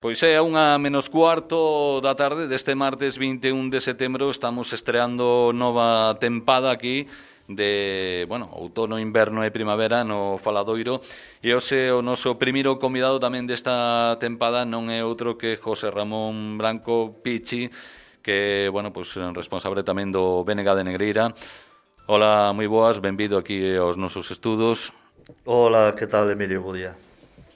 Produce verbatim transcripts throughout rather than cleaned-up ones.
Pois é unha menos cuarto da tarde deste martes vinte e un de setembro. Estamos estreando nova tempada aquí de, bueno, outono, inverno e primavera no Faladoiro. E hoxe o noso primeiro convidado tamén desta tempada non é outro que José Ramón Branco Pichi, que, bueno, pois responsable tamén do B N G de Negreira. Hola, moi boas, benvido aquí aos nosos estudos. Hola, que tal, Emilio? Bo día.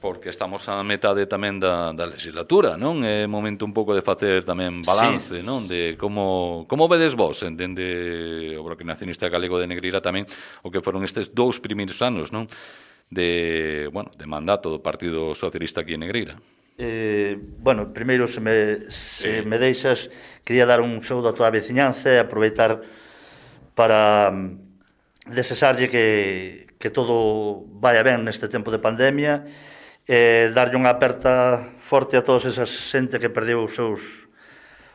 Porque estamos a metade tamén da, da legislatura, non? É momento un pouco de facer tamén balance, sí, non? De como, como vedes vos, entende o Bloque Nacionalista Galego de Negreira tamén, o que foron estes dous primeiros anos, non? De, bueno, de mandato do Partido Socialista aquí en Negreira. Eh, bueno, primeiro, se me, se sí. me deixas, quería dar un saúdo a toda a veciñanza e aproveitar para desexarlle que, que todo vaya ben neste tempo de pandemia, e darlle unha aperta forte a todos esas xente que perdeu os seus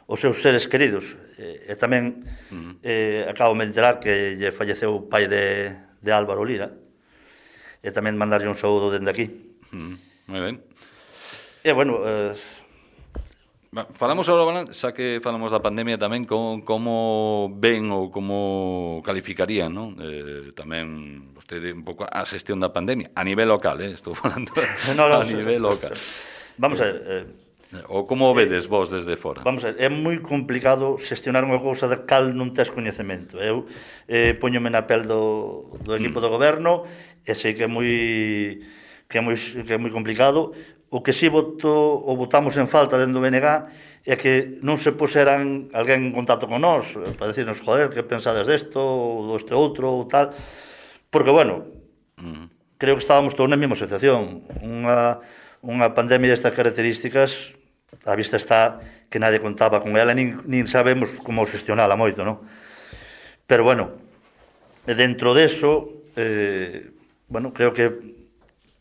os seus seres queridos. E, e tamén uh-huh. eh, acabo de enterar que lle falleceu o pai de, de Álvaro Lira, e tamén mandarlle un saúdo dende aquí. Uh-huh. Moi ben. E bueno, eh, falamos agora, xa que falamos da pandemia tamén, como, como ven ou como calificarían, non? Eh, tamén vostede un pouco a xestión da pandemia a nivel local, eh? Estou falando no, no, a nivel local. Vamos a ver, eh, ou como vedes eh, vos desde fora? Vamos a ver, é moi complicado xestionar unha cousa da cal non tes coñecemento. Eu eh, poñome na pel do, do equipo mm. do goberno e sei que é moi que é moi que é moi complicado. O que si voto, ou votamos en falta dentro do B N G é que non se puseran alguén en contacto con nós para decirnos, joder, que pensades desto ou deste outro ou tal, porque, bueno, mm. creo que estábamos todos na mesma situación. Unha, unha pandemia destas características, a vista está que nadie contaba con ela, nin, nin sabemos como gestionala moito, non? Pero, bueno, dentro deso, eh, bueno, creo que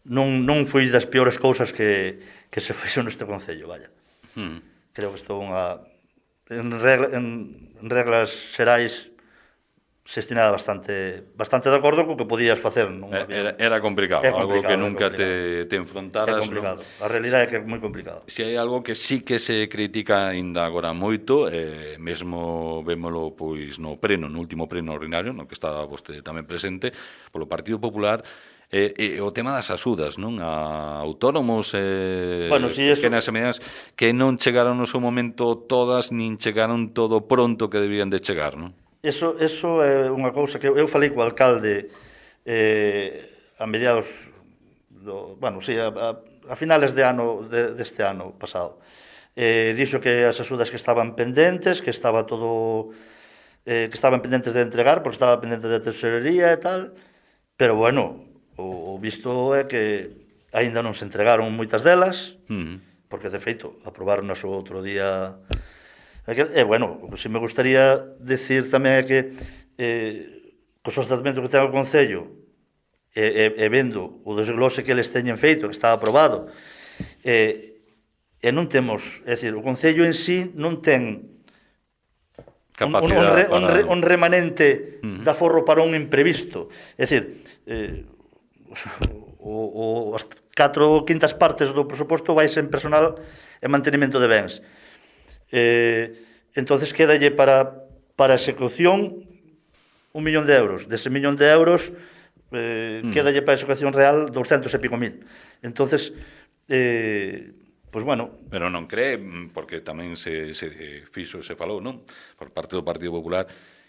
non, non foi das peores cousas que, que se fixo neste Concello, vaya. Hmm. Creo que estou unha, en, regla, en, en reglas xerais xestionada bastante bastante de acordo co que podías facer. Non era, era complicado, é algo que nunca te, te enfrontaras. É complicado, ¿no? A realidade é que é moi complicado. Se hai algo que sí que se critica ainda agora moito, eh, mesmo vémolo pois no pleno, no último pleno ordinario, no que está vostede tamén presente, polo Partido Popular, E, e o tema das axudas, non? A autónomos e bueno, si eso... pequenas e medianas que non chegaron no seu momento todas, nin chegaron todo pronto que debían de chegar, non? Eso, eso é unha cousa que eu falei co alcalde eh, a mediados do, bueno, sí, a, a, a finales de ano de, deste ano pasado. Eh, dixo que as axudas que estaban pendentes, que estaba todo eh, que estaban pendentes de entregar, porque estaba pendente de tesorería e tal, pero bueno, o visto é que aínda non se entregaron moitas delas, uh-huh. porque, de feito, aprobaron o outro día. E, bueno, o que si me gustaría decir tamén é que eh, cos tratamentos que ten o Concello e, e, e vendo o desglose que eles teñen feito, que está aprobado, e, e non temos, é dicir, o Concello en sí non ten un, un, un, re, para... un, re, un remanente uh-huh. de aforro para un imprevisto. É dicir, eh, o, o, as catro quintas partes do presuposto vai en personal e mantenimento de bens. Eh, entonces quedalle para, para execución un millón de euros. Dese millón de euros eh, mm. quedalle para execución real doscientos e pico mil. Entonces, eh, pois pues bueno... Pero non cree, porque tamén se, se fixo, se falou, non? Por parte do Partido Popular,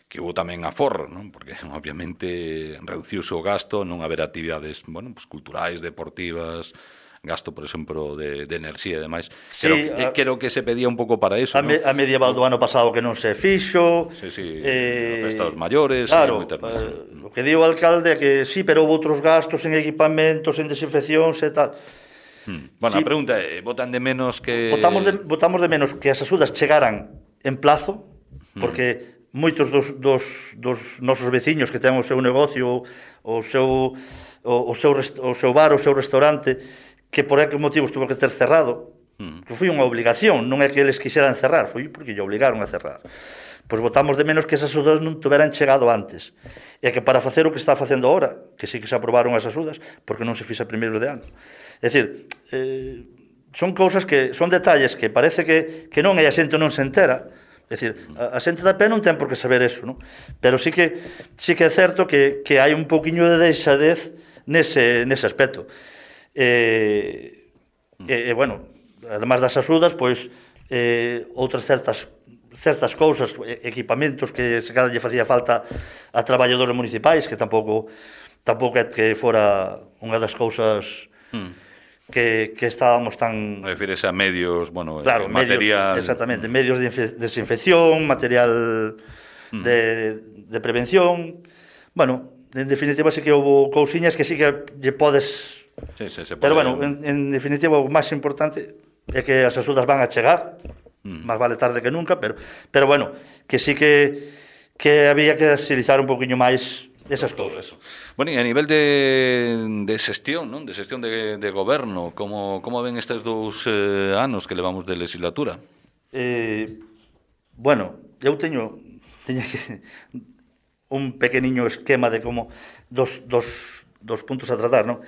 que hubo tamén aforro, non? Porque obviamente reduciuse o gasto, non haber actividades, bueno, pues, culturais, deportivas, gasto, por exemplo, de, de enerxía e demais. Sí, creo, que, a, creo que se pedía un pouco para eso, a, me, a medieval do ano pasado que non se fixo. Sí, sí, eh, a festa dos maiores. Claro, eh, o que di o alcalde é que sí, pero houve outros gastos en equipamentos, en desinfeccións e tal. Hmm. Bueno, sí, a pregunta é, votan de menos que... Votamos de, votamos de menos que as axudas chegaran en plazo, porque... Hmm. Moitos dos, dos, dos nosos veciños que ten o seu negocio, o seu, o, o, seu, o seu bar, o seu restaurante, que por aqueles motivos tuvo que ter cerrado, mm. que foi unha obligación, non é que eles quixeran cerrar, foi porque lle obligaron a cerrar. Pois votamos de menos que esas axudas non tuveran chegado antes. E que para facer o que está facendo agora, que sí que se aprobaron as axudas, porque non se fixa primeiro de ano. É dicir, eh, son cousas que son detalles que parece que, que non e a xente non se entera. É dicir, a, a xente da pé non ten por que saber eso, non? Pero sí que sí que é certo que, que hai un pouquiño de deixadez nese, nese aspecto. E, e, e bueno, además das axudas, pois eh, outras certas certas cousas, equipamentos que se cada lle facía falta a traballadores municipais, que tampouco tampouco é que fora unha das cousas mm. que, que estábamos tan... Refírese a medios, bueno, claro, eh, material... Medios, exactamente, medios de desinfección, material mm. de, de prevención... Bueno, en definitiva sí que houve cousiñas que sí que lle podes... Sí, sí, se pode... Pero bueno, en, en definitiva o máis importante é que as axudas van a chegar, mm. máis vale tarde que nunca, pero, pero bueno, que sí que, que había que agilizar un poquinho máis esas cousas. Bueno, e a nivel de, de xestión, non? De xestión de, de goberno, como, como ven estes dous eh, anos que levamos de legislatura? Eh, bueno, eu teño, teño que, un pequeniño esquema de como dos, dos, dos puntos a tratar, non?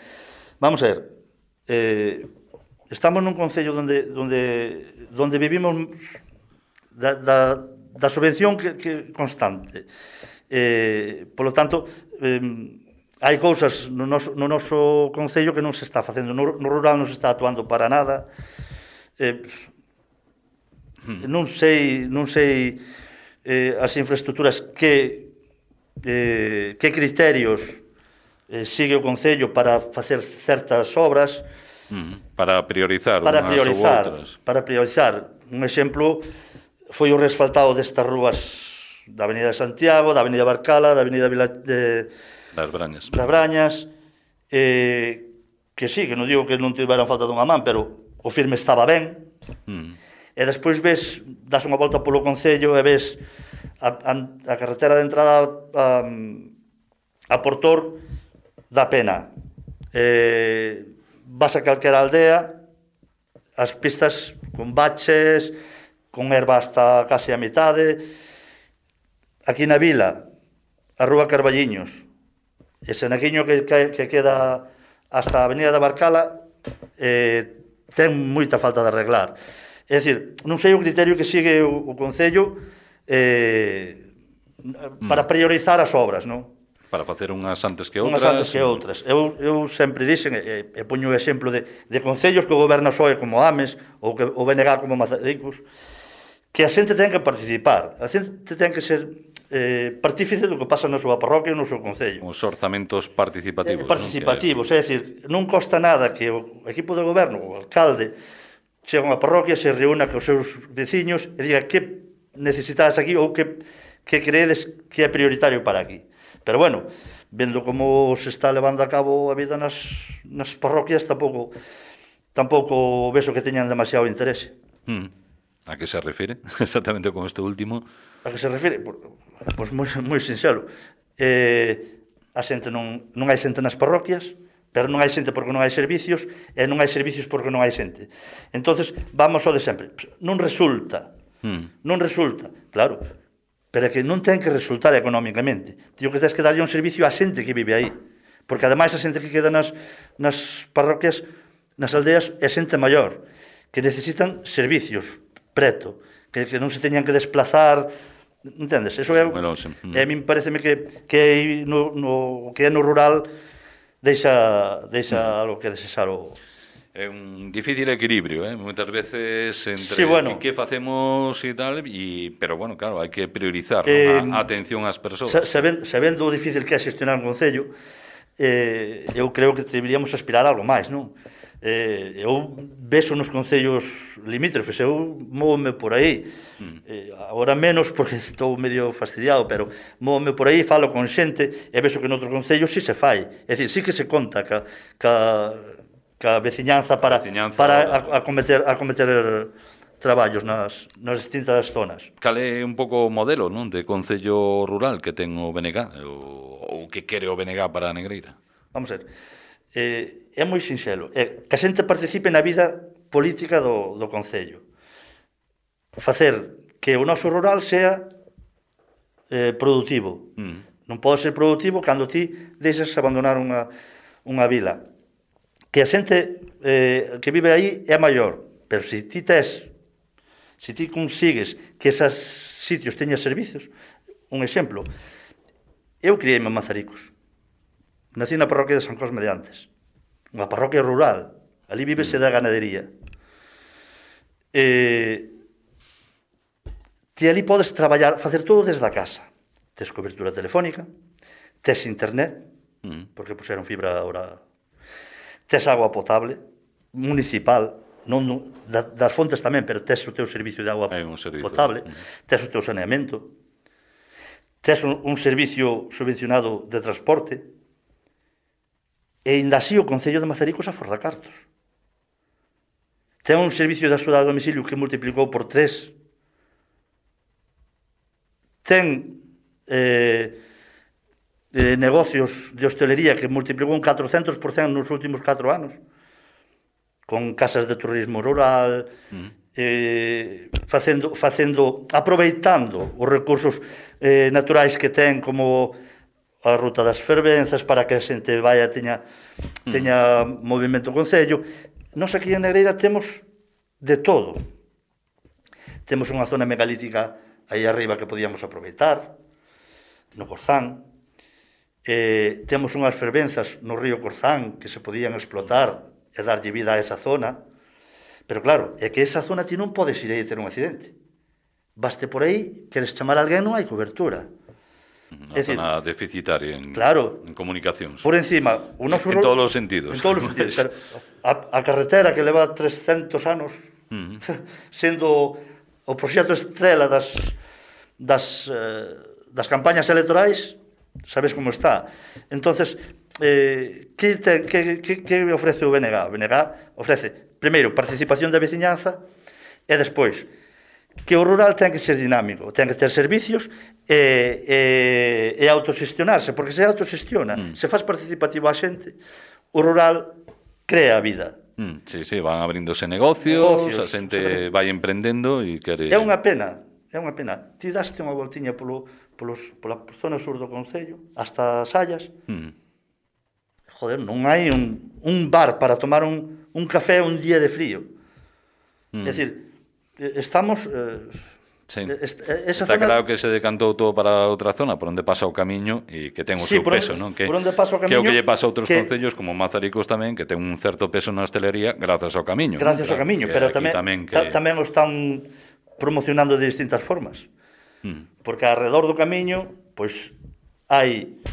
Vamos a ver, eh, estamos nun concello onde, onde, onde vivimos da, da, da subvención que, que constante. Eh, polo tanto, eh, hai cousas no noso, no noso concello que non se está facendo. No, no rural non se está actuando para nada. Eh, non sei, non sei eh, as infraestructuras que, eh, que criterios eh, sigue o concello para facer certas obras. Para priorizar para unhas priorizar, ou outras. Para priorizar. Un exemplo foi o resfaltado destas rúas da Avenida de Santiago, da Avenida Barcala, da Avenida Vila de das Brañas. Das Brañas, eh, que sí, que non digo que non tiveran falta dunha man, pero o firme estaba ben. Mm. E despois ves, das unha volta polo concello e ves a, a, a carretera de entrada a, a Portor da pena. Eh, vas a calquera aldea, as pistas con baches, con erva hasta casi a mitade. Aquí na vila, a rúa Carballiños, ese naquiño que, que, que queda hasta a Avenida da Barcala, eh, ten moita falta de arreglar. É dicir, non sei o criterio que sigue o, o Concello eh, para priorizar as obras, non? Para facer unhas antes que outras. Unhas antes que outras. Eu, eu sempre dixen, e, e poño o exemplo de, de concellos que o goberna P S O E como Ames, ou que o B N G como Mazaricos, que a xente ten que participar. A xente ten que ser eh, partífice do que pasa na súa parroquia e no seu concello. Os orzamentos participativos. Eh, participativos, non? É dicir, non costa nada que o equipo de goberno, o alcalde, chega a unha parroquia, se reúna cos seus veciños e diga que necesitas aquí ou que, que creedes que é prioritario para aquí. Pero bueno, vendo como se está levando a cabo a vida nas, nas parroquias, tampouco tampouco veso que teñan demasiado interese. Mm. A que se refire? Exactamente con este último. A que se refire? Pois pues moi, moi sincero. Eh, a xente non, non hai xente nas parroquias, pero non hai xente porque non hai servicios, e non hai servicios porque non hai xente. Entonces vamos ao de sempre. Non resulta. Mm. Non resulta. Claro, pero é que non ten que resultar económicamente. Tío, que tens que darlle un servicio á xente que vive aí. Porque ademais a xente que queda nas, nas parroquias, nas aldeas, é xente maior, que necesitan servicios preto, que, que non se teñan que desplazar, entendes? Eso é, bueno, sí. mm. é a min pareceme que, que, no, no, que é no rural deixa, deixa mm. algo que desexar o... É un difícil equilibrio, eh? Moitas veces entre sí, bueno, que, que facemos e tal, y, pero bueno, claro, hai que priorizar eh, ¿no? a, a atención ás persoas. Sabendo, sabendo o difícil que é xestionar un concello, eh, eu creo que deberíamos aspirar a algo máis, non? Eh, eu vexo nos concellos limítrofes, eu móvome por aí, mm. eh, agora menos porque estou medio fastidiado, pero móvome por aí, falo con xente, e vexo que noutros concellos sí se fai, é dicir, sí que se conta ca, ca, ca veciñanza para, veciñanza para a, a cometer, a cometer traballos nas, nas distintas zonas. Cal é un pouco o modelo, non, de concello rural que ten o B N G, ou, ou que quere o B N G para a Negreira? Vamos a ver, eh, é moi sinxelo, é que a xente participe na vida política do, do concello. Facer que o noso rural sea eh, productivo. Mm. Non pode ser productivo cando ti deixas abandonar unha, unha vila. que a xente eh, que vive aí é maior, pero se ti tes, se ti consigues que esos sitios teñan servicios, un exemplo, eu criei-me en Mazaricos, nací na parroquia de San Cosme de Antes, unha parroquia rural, ali vívese da ganadería. Eh, ti ali podes traballar, facer todo desde a casa. Tes cobertura telefónica, tes internet, porque puseron fibra ahora, tes agua potable, municipal, non, non, das fontes tamén, pero tes o teu servicio de agua servicio, potable, uh -huh. tes o teu saneamento, tes un, un servicio subvencionado de transporte, e ainda así o Concello de Mazaricos aforra cartos. Ten un servicio de axuda a domicilio que multiplicou por tres. Ten eh, eh, negocios de hostelería que multiplicou un catrocentos por cento nos últimos catro anos, con casas de turismo rural, mm. eh, facendo, facendo, aproveitando os recursos eh, naturais que ten, como a ruta das fervenzas, para que a xente vaya, teña, teña mm. movimento concello. Nós aquí en Negreira temos de todo. Temos unha zona megalítica aí arriba que podíamos aproveitar, no Corzán. Eh, temos unhas fervenzas no río Corzán que se podían explotar e darlle vida a esa zona. Pero claro, é que esa zona ti non podes ir aí a ter un accidente. Baste por aí, queres chamar a alguén, non hai cobertura. Unha zona deficitaria en, claro, en comunicacións. Por encima, o noso en, en todos os sentidos. En todos os sentidos. Pero a, a carretera que leva trescentos anos, uh -huh. sendo o proxecto estrela das, das, eh, das campañas electorais, sabes como está. Entonces, eh, que, te, que, que, que ofrece o B N G? O B N G ofrece, primeiro, participación da veciñanza, e despois, que o rural ten que ser dinámico, ten que ter servicios e, e, e autoxestionarse, porque se autoxestiona, mm. se faz participativo a xente, o rural crea vida. Mm, sí, sí, van abrindose negocios, negocios a xente vai emprendendo e quere... É unha pena, é unha pena. Ti daste unha voltiña polo, polos, pola zona sur do Concello, hasta Sallas. Mm. Joder, non hai un, un bar para tomar un, un café un día de frío. Mm. É dicir, estamos... Eh, sí. Esa está zona... claro que se decantou todo para outra zona por onde pasa o camiño e que ten o sí, seu peso, non? Que, por onde pasa o camiño, que o que lle pasa a outros que... concellos como Mazaricos tamén, que ten un certo peso na hostelería grazas ao camiño. Gracias ¿no? ao camiño, pero tamén, tamén, que... tamén o están promocionando de distintas formas. Mm. Porque alrededor do camiño, pois, hai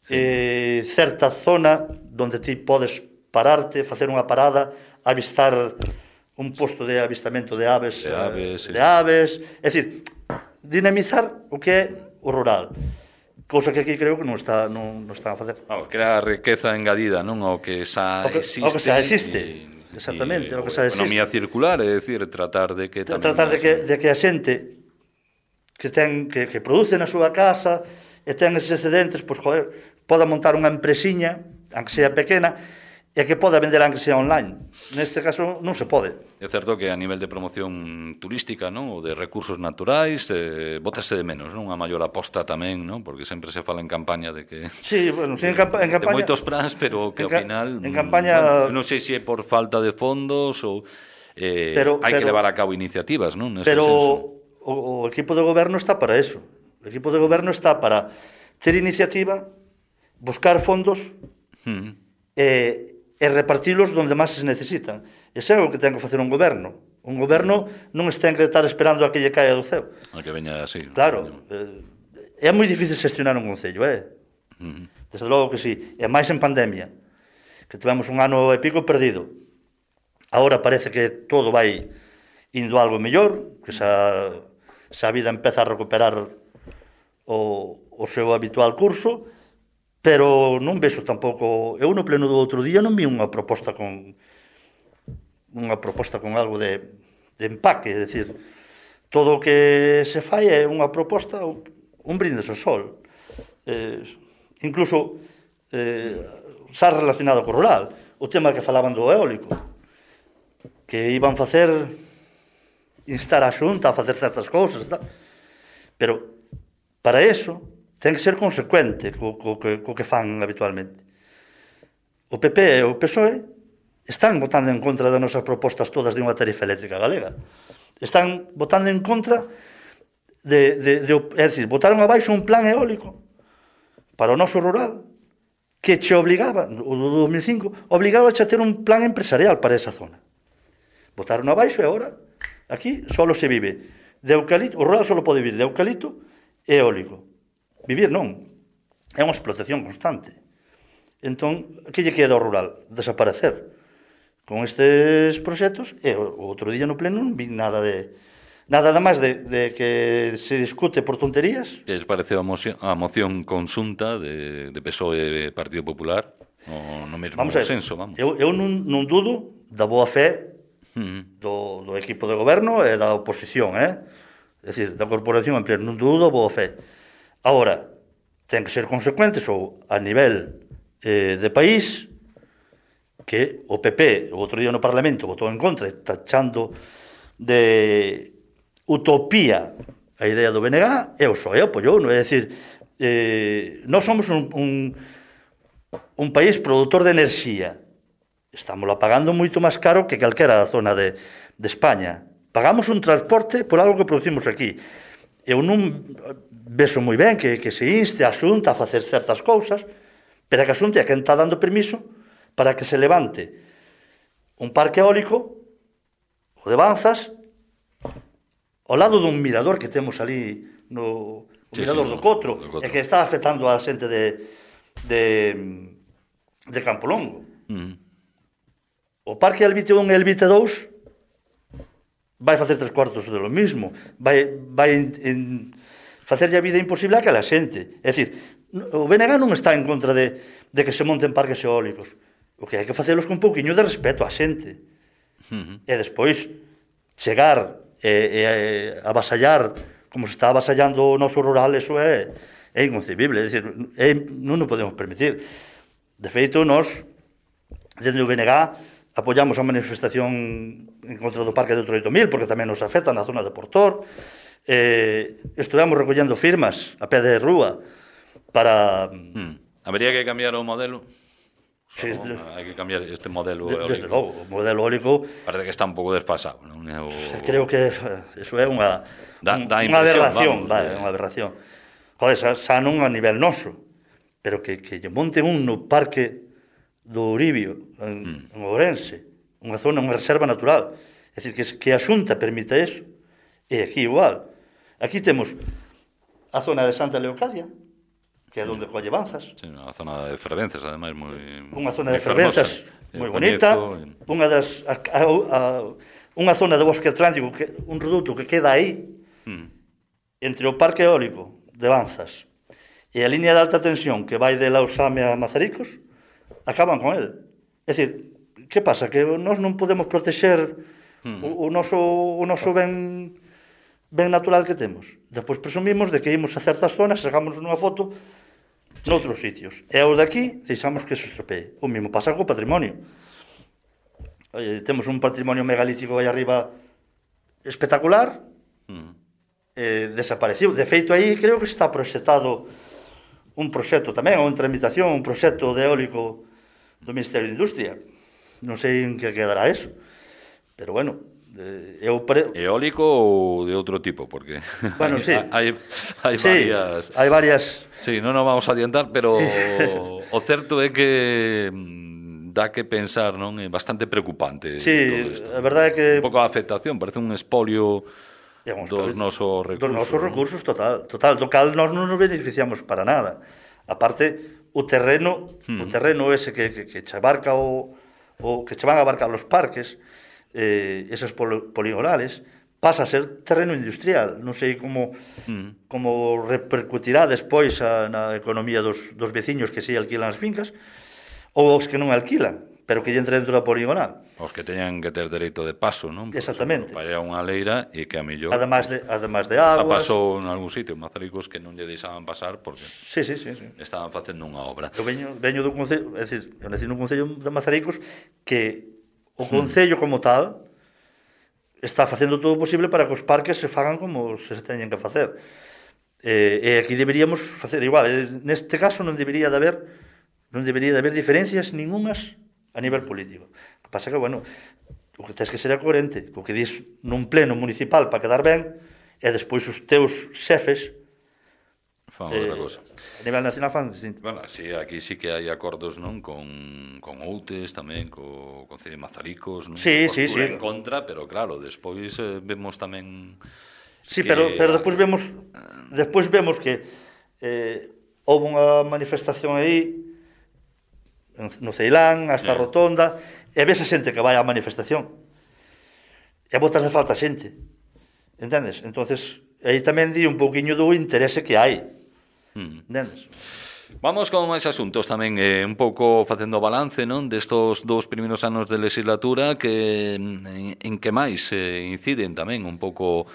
sí. eh, certa zona onde ti podes pararte, facer unha parada, avistar un posto de avistamento de aves, de aves, eh, de aves, é dicir, dinamizar o que é o rural. Cousa que aquí creo que non está non, non están a facer. Vamos, crear riqueza engadida, non ao que xa o que, existe. O que xa existe. Y, exactamente, y, o que xa existe. Economía circular, é dicir, tratar de que tamén tratar de que de que a xente que ten que que produce na súa casa e ten eses excedentes, pois joder, poda montar unha empresiña, aunque sea pequena, e que poda vender aunque sea online. Neste caso non se pode. É certo que a nivel de promoción turística, non, ou de recursos naturais, eh, bótase de menos, non, unha maior aposta tamén, non, porque sempre se fala en campaña de que sí, bueno, sí, en, campa en campaña de moitos plans, pero que ao final en campaña, bueno, non sei se é por falta de fondos ou eh, pero, hai pero, que levar a cabo iniciativas, non, nese pero senso. O, o equipo de goberno está para eso. O equipo de goberno está para ter iniciativa, buscar fondos mm. e e repartilos onde máis se necesitan. Ese é o que ten que facer un goberno. Un goberno non ten que estar esperando a que lle caia do ceo. A que veña así. Claro. Eh, é moi difícil gestionar un concello, eh? Uh -huh. Desde logo que sí. E máis en pandemia, que tivemos un ano e pico perdido. Agora parece que todo vai indo algo mellor, que xa, xa a vida empeza a recuperar o, o seu habitual curso, pero non vexo tampouco, eu no pleno do outro día non vi unha proposta con unha proposta con algo de, de empaque, é dicir, todo o que se fai é unha proposta, un brindes ao sol, eh, incluso eh, xa relacionado co rural, o tema que falaban do eólico, que iban facer, instar a Xunta a facer certas cousas, tal. Pero para eso ten que ser consecuente co, co, co, co que fan habitualmente. O P P e o P S O E están votando en contra das nosas propostas todas de unha tarifa eléctrica galega. Están votando en contra de, de, de, é dicir, votaron abaixo un plan eólico para o noso rural que che obligaba, o do dos mil cinco, obligaba a ter un plan empresarial para esa zona. Votaron abaixo e agora aquí só se vive de eucalipto, o rural só pode vivir de eucalipto e eólico. Vivir non, é unha explotación constante. Entón, que lle queda ao rural? Desaparecer. Con estes proxectos, e o outro día no pleno non vi nada de nada máis de, de que se discute por tonterías. Que les parece a moción, a moción consunta de, de P S O E e Partido Popular no, no mesmo vamos senso, vamos. Eu, eu non, non dudo da boa fe uh-huh. do, do equipo de goberno e da oposición, eh? É dicir, da corporación en pleno, non dudo da boa fe. Agora, ten que ser consecuentes ou a nivel eh, de país, que o P P o outro día no Parlamento votou en contra, tachando de utopía a idea do B N G, eu só, eu apoiou, non é dicir, eh, nós somos un, un, un país produtor de enerxía, estamos pagando moito máis caro que calquera zona de, de España, pagamos un transporte por algo que producimos aquí. Eu non vexo moi ben que, que se inste a Xunta a facer certas cousas, pero que a Xunta é quen está dando permiso para que se levante un parque eólico, o de Banzas, ao lado dun mirador que temos ali, no o sí, mirador sí, do, Cotro, do Cotro, e que está afectando a xente de, de, de Campolongo. Mm. O parque Elvite un e Elvite dous vai facer tres cuartos de lo mismo, vai, vai en, en facerlle a vida imposible a aquela xente. É dicir, o B N G non está en contra de, de que se monten parques eólicos. O que hai que facelos con un pouquiño de respeto á xente. Uh-huh. E despois chegar e, e, e avasallar como se está avasallando o noso rural, eso é, é inconcebible. É dicir, é, non o podemos permitir. De feito, nós, desde o B N G, apoyamos a manifestación en contra do parque de Troito Mil, porque tamén nos afecta na zona de Portor. Eh, estuvemos recollendo firmas a pé de rúa para... Hmm. Habería que cambiar o modelo? Sí, so, hai que cambiar este modelo eólico. Desde logo, o modelo eólico parece que está un pouco desfasado, non? O... Creo que eso é unha da, da unha vamos, aberración, vai, de... unha aberración. Joder, xa, xa non a nivel noso, pero que, que lle monten un no parque do Uribio, en, mm. en Ourense, unha zona, unha reserva natural. É dicir, que, que a Xunta permita eso. E aquí igual. Aquí temos a zona de Santa Leocadia, que é onde colle Banzas. Sí, unha zona de fervenzas, ademais, moi... Unha zona de fervenzas moi bonita, unha das... A, a, a, unha zona de bosque atlántico, que, un reduto que queda aí, mm. entre o parque eólico de Banzas e a línea de alta tensión que vai de Lausame a Mazaricos, acaban con el. É dicir, que pasa? Que nós non podemos protexer mm. o, o noso, o noso ben, ben natural que temos. Despois presumimos de que imos a certas zonas, sacamos unha foto noutros sitios. E ao daqui deixamos que se estropee. O mesmo pasa co patrimonio. Eh, temos un patrimonio megalítico aí arriba espectacular, mm. eh, desaparecido. De feito, aí creo que está proxectado un proxecto tamén, ou en tramitación, un proxecto de eólico do Ministerio de Industria. Non sei en que quedará eso. Pero bueno, eu pre... eólico ou de outro tipo, porque bueno, hai, sí. hai, hai sí, varias hai varias sí, non nos vamos a adiantar, pero sí. o certo é que dá que pensar, non? É bastante preocupante sí, todo isto. A verdade é que un pouco a afectación, parece un espolio dos nosos recursos, dos nosos recursos, ¿no? total, total, do cal nós non nos beneficiamos para nada. Aparte, o terreno, hmm. o terreno ese que, que, que che abarca o, o que che van a abarcar os parques, eh, esas poligonales, pasa a ser terreno industrial. Non sei como mm. como repercutirá despois a, na economía dos, dos veciños que si alquilan as fincas, ou os que non alquilan, pero que lle entre dentro da poligonal. Os que teñan que ter dereito de paso, non? Exactamente. Para unha leira e que a mellor... Además de, además de aguas... Xa pasou en algún sitio, en Mazaricos, que non lle deixaban pasar porque sí, sí, sí, sí. estaban facendo unha obra. Eu veño, veño dun concello, é dicir, eu nací nun concello de Mazaricos que o concello como tal está facendo todo o posible para que os parques se fagan como se teñen que facer. E, e aquí deberíamos facer igual. Neste caso non debería de haber non debería de haber diferencias ningunhas a nivel político. O que pasa que, bueno, o que tens que ser é coherente, o que dis nun pleno municipal para quedar ben, e despois os teus xefes fan outra cosa. A nivel nacional fan distinto. Bueno, sí, aquí sí que hai acordos, non, con, con Outes tamén, co, con Cine Mazaricos, non? Sí, sí, sí. En contra, pero claro, despois eh, vemos tamén Sí, que... pero, pero despois vemos despois vemos que eh, houve unha manifestación aí no Ceilán, hasta a Rotonda, e ves a xente que vai á manifestación e botas de falta a xente, entendes? Entonces aí tamén di un pouquiño do interese que hai, mm. entendes? Vamos con máis asuntos tamén, eh, un pouco facendo balance, non, destos dous primeiros anos de legislatura, que en, en que máis eh, inciden tamén un pouco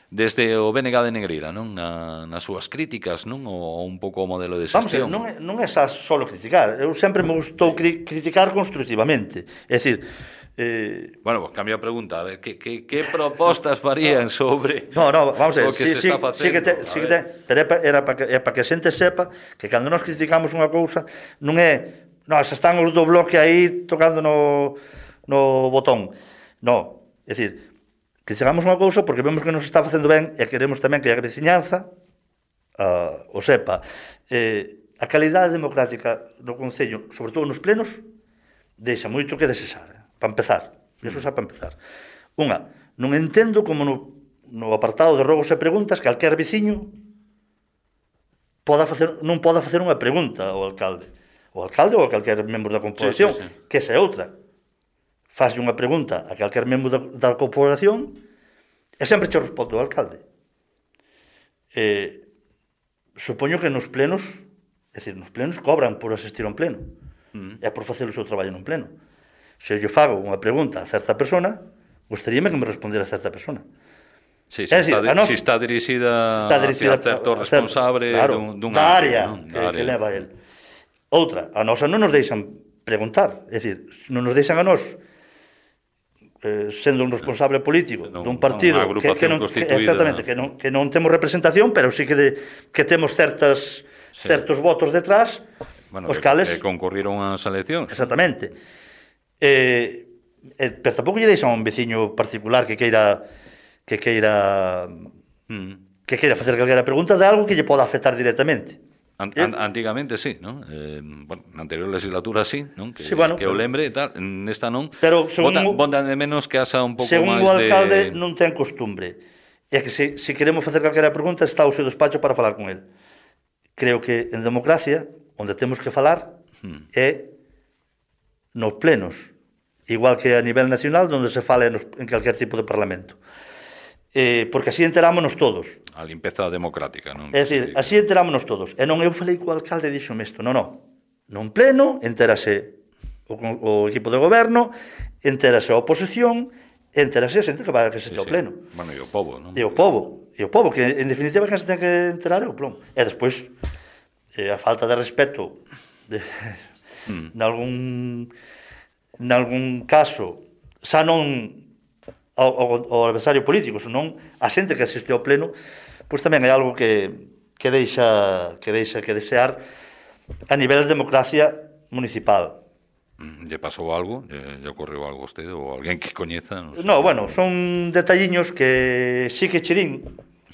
desde o B N G de Negreira, non, na, nas súas críticas, non, o un pouco o modelo de xestión. Vamos, non é, non é xa solo criticar, eu sempre me gustou cri criticar constructivamente, é dicir, eh... bueno, pues cambio a pregunta, a ver, que, que, que propostas farían sobre no, no, vamos a ver, o que sí, se sí, está facendo? Sí que te, sí que te, pero era para que, é para que a xente sepa que cando nos criticamos unha cousa non é, no, xa están os do bloque aí tocando no, no botón, no, é dicir, criticamos unha cousa porque vemos que nos está facendo ben e queremos tamén que a veciñanza uh, o sepa. Eh, a calidade democrática do Concello, sobre todo nos plenos, deixa moito que desexar, eh? Para empezar. Iso xa para empezar. Unha, non entendo como no, no apartado de rogos e preguntas calquer veciño poda facer, non poda facer unha pregunta ao alcalde. O alcalde ou a calquer membro da corporación, sí, sí, sí. Que esa é outra. Faslle unha pregunta a calquer membro da, da corporación e sempre che responde o alcalde. Eh, supoño que nos plenos, é dicir, nos plenos cobran por asistir a un pleno, mm. e por facer o seu traballo nun pleno. Se eu fago unha pregunta a certa persona, gostaríame que me respondera a certa persona. Sí, se, decir, está, nos, si está dirixida, si está dirixida a certo responsable claro, dun, dun da área, ¿no? que, área que leva el. Outra, a nosa non nos deixan preguntar, é dicir, non nos deixan a nós eh, sendo un responsable político non, dun partido que, que, non, que, exactamente, que, non, que non temos representación, pero sí que, de, que temos certas, sí. certos votos detrás, bueno, os que, cales... que concurriron ás eleccións. Exactamente. Eh, eh, pero tampouco lle deixan a un veciño particular que queira que queira mm. que queira facer calquera pregunta de algo que lle poda afectar directamente. An, an, antigamente sí, ¿no? Eh, bueno, na anterior legislatura sí, ¿no? Que, sí, bueno, que o lembre e tal, nesta non. Pero según Botan de menos que haxa un pouco máis de... Según o alcalde de... non ten costumbre. É que se, se queremos facer calquera pregunta está o seu despacho para falar con el. Creo que en democracia, onde temos que falar hmm. é nos plenos, igual que a nivel nacional, onde se fala nos, en calquer tipo de parlamento. Eh, porque así enterámonos todos. A limpeza democrática, non? É dicir, así enterámonos todos. E non eu falei co alcalde e dixome isto, non, non. Non pleno, entérase o, o equipo de goberno, entérase a oposición, entérase a xente que vai a que se sí, ao pleno. Sí. Bueno, e o povo, non? E o povo, e o povo, que en definitiva que se ten que enterar é o plom. E despois, eh, a falta de respeto de, mm. nalgún nalgún caso, xa non ao, ao, ao adversario político, senón a xente que asiste ao pleno, pois tamén é algo que, que deixa que deixa que desear a nivel de democracia municipal. Lle pasou algo? Lle ocorreu algo a vostede ou alguén que coñeza? Non, no, bueno, son detalliños que sí que che din,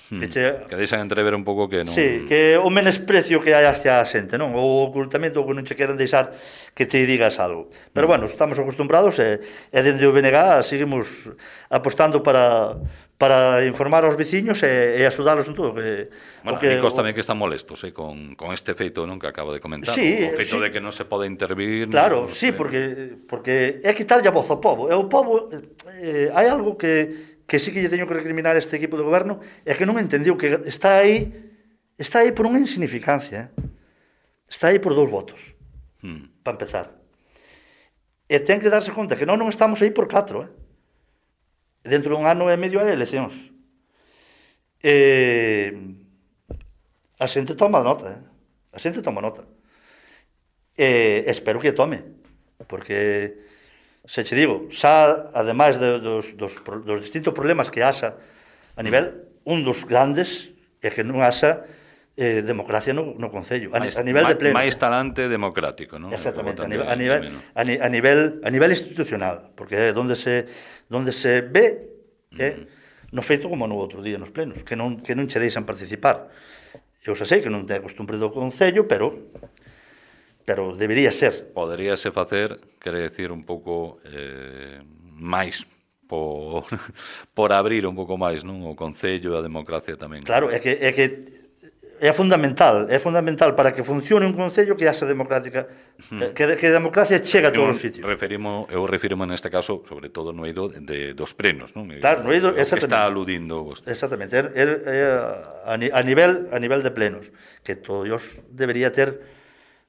que, che... que deixan entrever un pouco que non... Sí, que o menosprecio que hai hacia a xente, non? O ocultamento que non che queren deixar que te digas algo. Pero, mm. bueno, estamos acostumbrados e, e dende o B N G seguimos apostando para, para informar aos veciños e, e axudalos en todo. Que, bueno, que, a mí tamén que están molestos eh, con, con este feito, non, que acabo de comentar. Sí, o feito sí. de que non se pode intervir... Claro, no, sí, porque, porque é quitarlle a voz ao povo. E o povo, eh, hai algo que... que sí que lle teño que recriminar este equipo de goberno é que non entendiu que está aí está aí por unha insignificancia, eh? Está aí por dous votos, hmm. para empezar. E ten que darse conta que non non estamos aí por catro, eh? Dentro dun ano e medio hai eleccións. E a xente toma nota, eh? A xente toma nota. E espero que tome, porque se che digo, xa, ademais de, dos, dos, dos distintos problemas que haxa a nivel, un dos grandes é que non haxa eh, democracia no, no Concello, a, máis, a nivel de pleno. Máis talante democrático, non? Exactamente, a nivel, a, nivel, a, ni, a, nivel, a nivel institucional, porque é onde se, onde se ve é mm. no feito como no outro día nos plenos, que non, que non che deixan participar. Eu xa sei que non ten costumbre do Concello, pero pero debería ser. Poderíase facer, quere decir, un pouco eh, máis por, por abrir un pouco máis, non? O Concello e a democracia tamén. Claro, é que, é que é fundamental, é fundamental para que funcione un concello que haxa democrática, hmm. que, que a democracia chega a todos os sitios. Referimo, eu refirimo neste caso, sobre todo no eido de, dos plenos, non? Claro, no eido, que está aludindo vostede. Exactamente, é, é, é a, a, nivel, a nivel de plenos, que todos debería ter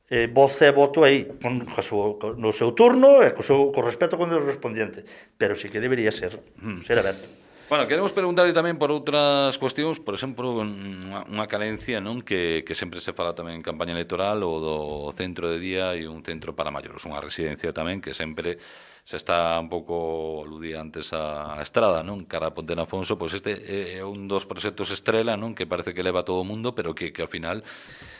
eh, voz e voto aí, con, con, no seu turno e co, seu, co respeto con o respondiente, pero sí que debería ser, hmm. ser aberto. Bueno, queremos preguntarle tamén por outras cuestións, por exemplo, unha, unha carencia, non, que, que sempre se fala tamén en campaña electoral, o do centro de día e un centro para maiores, unha residencia tamén que sempre se está un pouco aludía antes a, a Estrada, non, cara a Ponte de Afonso, pois este é un dos proxectos estrela, non, que parece que leva a todo o mundo, pero que, que ao final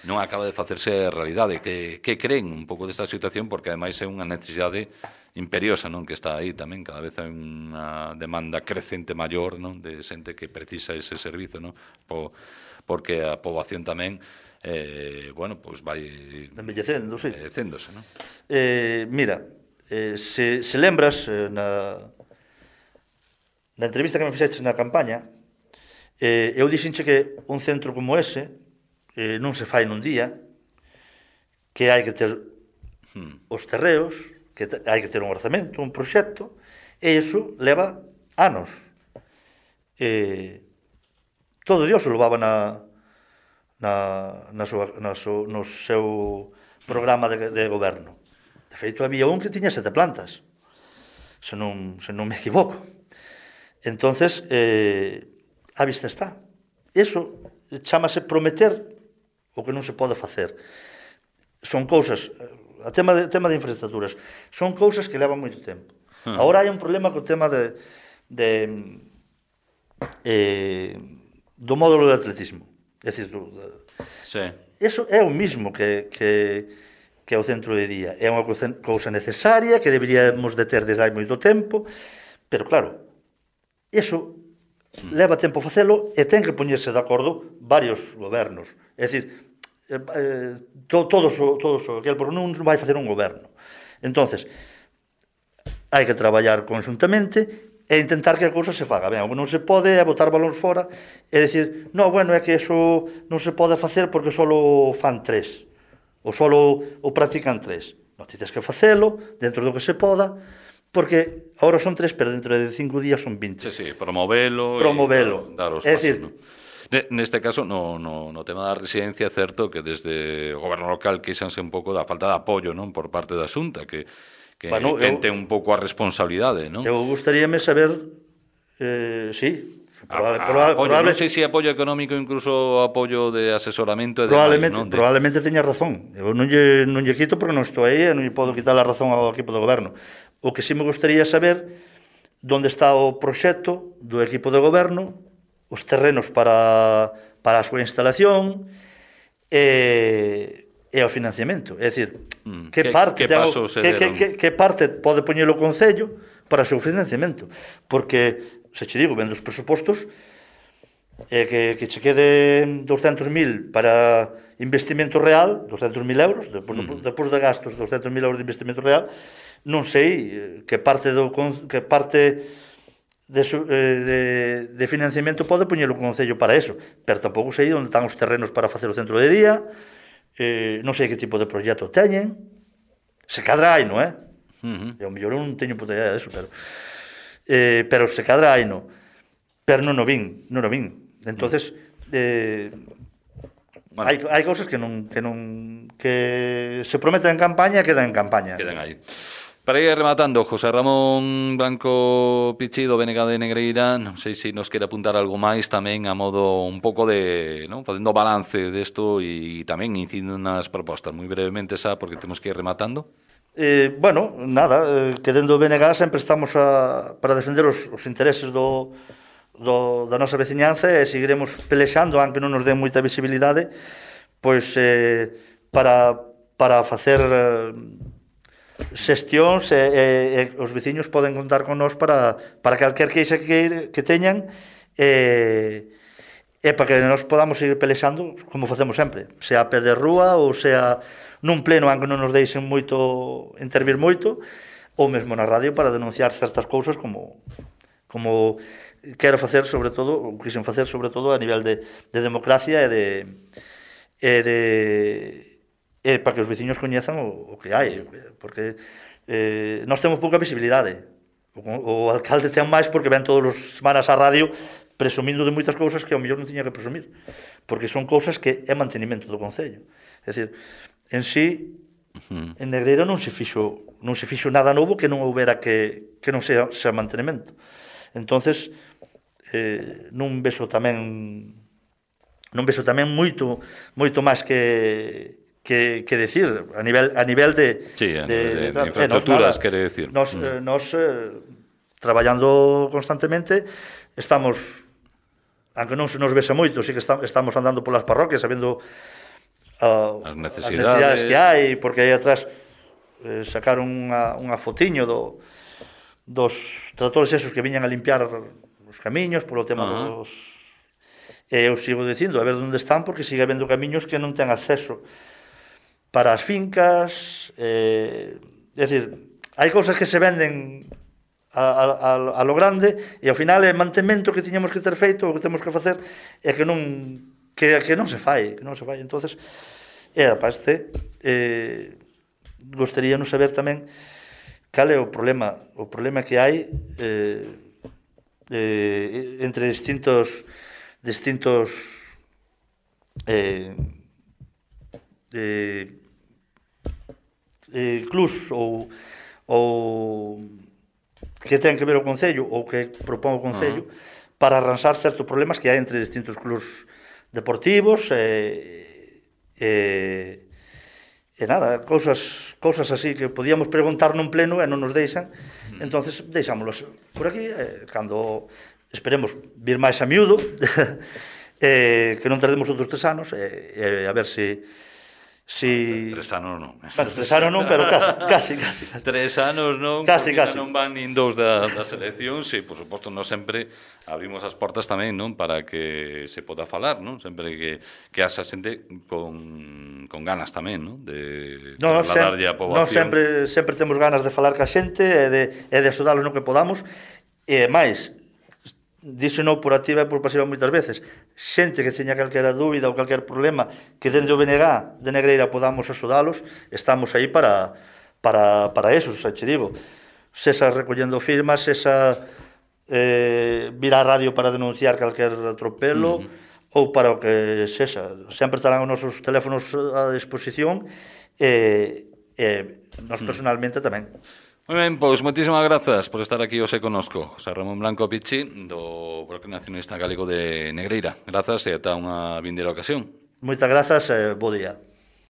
non acaba de facerse realidade. Que, que creen un pouco desta situación, porque ademais é unha necesidade imperiosa, non, que está aí tamén, cada vez hai unha demanda crecente maior, non, de xente que precisa ese servizo, non, po, porque a poboación tamén eh, bueno, pois pues vai envellecendo, sí. envellecéndose, non? Eh, mira, eh, se, se lembras eh, na na entrevista que me fixeches na campaña, eh, eu dixenche que un centro como ese eh, non se fai nun día, que hai que ter hmm. os terreos, que hai que ter un orzamento, un proxecto, e iso leva anos. Eh, todo Dios o levaba na, na, na, súa, na súa, no seu programa de, de goberno. De feito, había un que tiña sete plantas, se non, se non me equivoco. Entonces, eh, a vista está. Iso chámase prometer o que non se pode facer. Son cousas... O tema de, tema de infraestructuras son cousas que levan moito tempo. Hmm. Agora hai un problema co tema de, de eh, do módulo de atletismo. É dicir, do, de, sí. Eso é o mismo que, que, que o centro de día. É unha cousa necesaria que deberíamos de ter desde hai moito tempo, pero claro, eso hmm. leva tempo facelo e ten que poñerse de acordo varios gobernos. É dicir, Eh, eh, to, todos, todos aquel, porque non vai facer un goberno. Entonces hai que traballar conjuntamente e intentar que a cousa se faga ben. O que non se pode é botar balóns fora e decir, no, bueno, é que eso non se pode facer porque só fan tres ou só o practican tres. Non, ti tens que facelo dentro do que se poda, porque agora son tres, pero dentro de cinco días son vinte. Sí, sí, promovelo, promovelo. E dar os é pasos, dicir, ¿no? Neste caso, no, no, no tema da residencia, é certo que desde o goberno local queixanse un pouco da falta de apoio, non, por parte da Xunta, que, que bueno, ten un pouco a responsabilidade, non? Eu gustaríame saber, eh, sí, probable, a, a, probable, apoio, probable, non sei se apoio económico, incluso apoio de asesoramento e probablemente, demais, non? De... Probablemente teña razón. Eu non lle, non lle quito porque non estou aí e non lle podo quitar a razón ao equipo do goberno. O que sí me gustaría saber onde está o proxecto do equipo de goberno, os terrenos para, para a súa instalación e, e o financiamento. É dicir, mm, que, que parte que, tengo, que, que, que, que parte pode poñer o Concello para o seu financiamento. Porque, se che digo, vendo os presupostos, eh, que, que che quede doscientos mil para investimento real, doscientos mil euros, depois, mm. depois de gastos, doscientos mil euros de investimento real, non sei que parte do que parte de, de, de financiamento pode poñer o Concello para eso, pero tampouco sei onde están os terrenos para facer o centro de día, eh, non sei que tipo de proxecto teñen, se cadra hai, non é? Uh-huh. E ao mellor eu non teño puta idea deso, pero eh, pero se cadra hai, non? Pero non o vin, non o vin. Entonces, eh, bueno, hai, hai cousas que non, que non que se prometen en campaña e quedan en campaña. Quedan aí. Para ir rematando, José Ramón Branco Pichido, B N G de Negreira, non sei se nos quere apuntar algo máis tamén a modo un pouco de, non, facendo balance desto e tamén incidindo nas propostas, moi brevemente xa, porque temos que ir rematando. Eh, bueno, nada, eh, que dentro do B N G sempre estamos a, para defender os, os intereses do, do, da nosa veciñanza e seguiremos pelexando, aunque non nos den moita visibilidade, pois eh, para, para facer eh, xestións e, e, e os veciños poden contar con nós para, para calquer queixa que, que teñan e, e para que nós podamos seguir pelexando como facemos sempre, sea a pé de rúa ou sea nun pleno, aunque non nos deixen moito intervir moito, ou mesmo na radio para denunciar certas cousas como como quero facer sobre todo, ou quixen facer sobre todo a nivel de, de democracia e de e de e para que os veciños coñezan o, o que hai, porque eh, nós temos pouca visibilidade. O, o alcalde ten máis porque ven todos os semanas á radio presumindo de moitas cousas que ao mellor non tiña que presumir, porque son cousas que é mantenimento do concello. É dicir, en sí, uh-huh. en Negreira non se fixo non se fixo nada novo que non houbera que, que non sea, sea mantenimento. Entonces, eh, non vexo tamén non vexo tamén moito moito máis que que, que decir a nivel a nivel de, sí, de, de, de, de infraestructuras, quere decir. Nos, mm. eh, nos eh, traballando constantemente estamos, aunque non se nos vexa moito, sí que está, estamos andando polas parroquias sabendo uh, as necesidades. necesidades que hai, porque aí atrás eh, sacaron unha, unha fotiño do, dos tratores esos que viñan a limpiar os camiños polo tema uh-huh. dos... E eu sigo dicindo, a ver onde están, porque sigue habendo camiños que non ten acceso para as fincas, eh, é dicir, hai cousas que se venden a, a, a lo grande e ao final é mantemento que tiñamos que ter feito, o que temos que facer é que non que, que non se fai, que non se fai. Entonces, é aparte, eh, gostaríanos saber tamén cal é o problema, o problema que hai eh, eh, entre distintos distintos eh, eh, eh, clubs ou, ou que ten que ver o Concello ou que propón o Concello uh-huh. para arranxar certos problemas que hai entre distintos clubs deportivos e, e, e nada, cousas, cousas así que podíamos preguntar nun pleno e non nos deixan, uh-huh. entonces deixámolos por aquí, eh, cando esperemos vir máis a miúdo eh, que non tardemos outros tres anos e eh, eh, a ver se si... Tres anos non. Bueno, tres anos non, pero casi, casi, casi. Tres anos non, casi, porque casi. non van nin dous da, das eleccións e, por suposto, non sempre abrimos as portas tamén, non, para que se poda falar, non? Sempre que, que haxa xente con, con ganas tamén, non? De no, trasladarlle a poboación. Non sempre, sempre temos ganas de falar ca xente e de, e de axudalos no que podamos e máis, dixo non por activa e por pasiva moitas veces, xente que teña calquera dúbida ou calquer problema que dende o B N G de Negreira podamos axudalos, estamos aí para para, para eso, xa che digo, sesa recollendo firmas, sesa eh, vir á radio para denunciar calquer atropelo uh-huh. ou para o que sexa, sempre estarán os nosos teléfonos a disposición e, e nos personalmente uh-huh. tamén. Moi ben, pois moitísimas grazas por estar aquí hoxe conosco. José Ramón Blanco Pichi, do Bloque Nacionalista Galego de Negreira. Grazas e ata unha vindeira ocasión. Moitas grazas e bo día.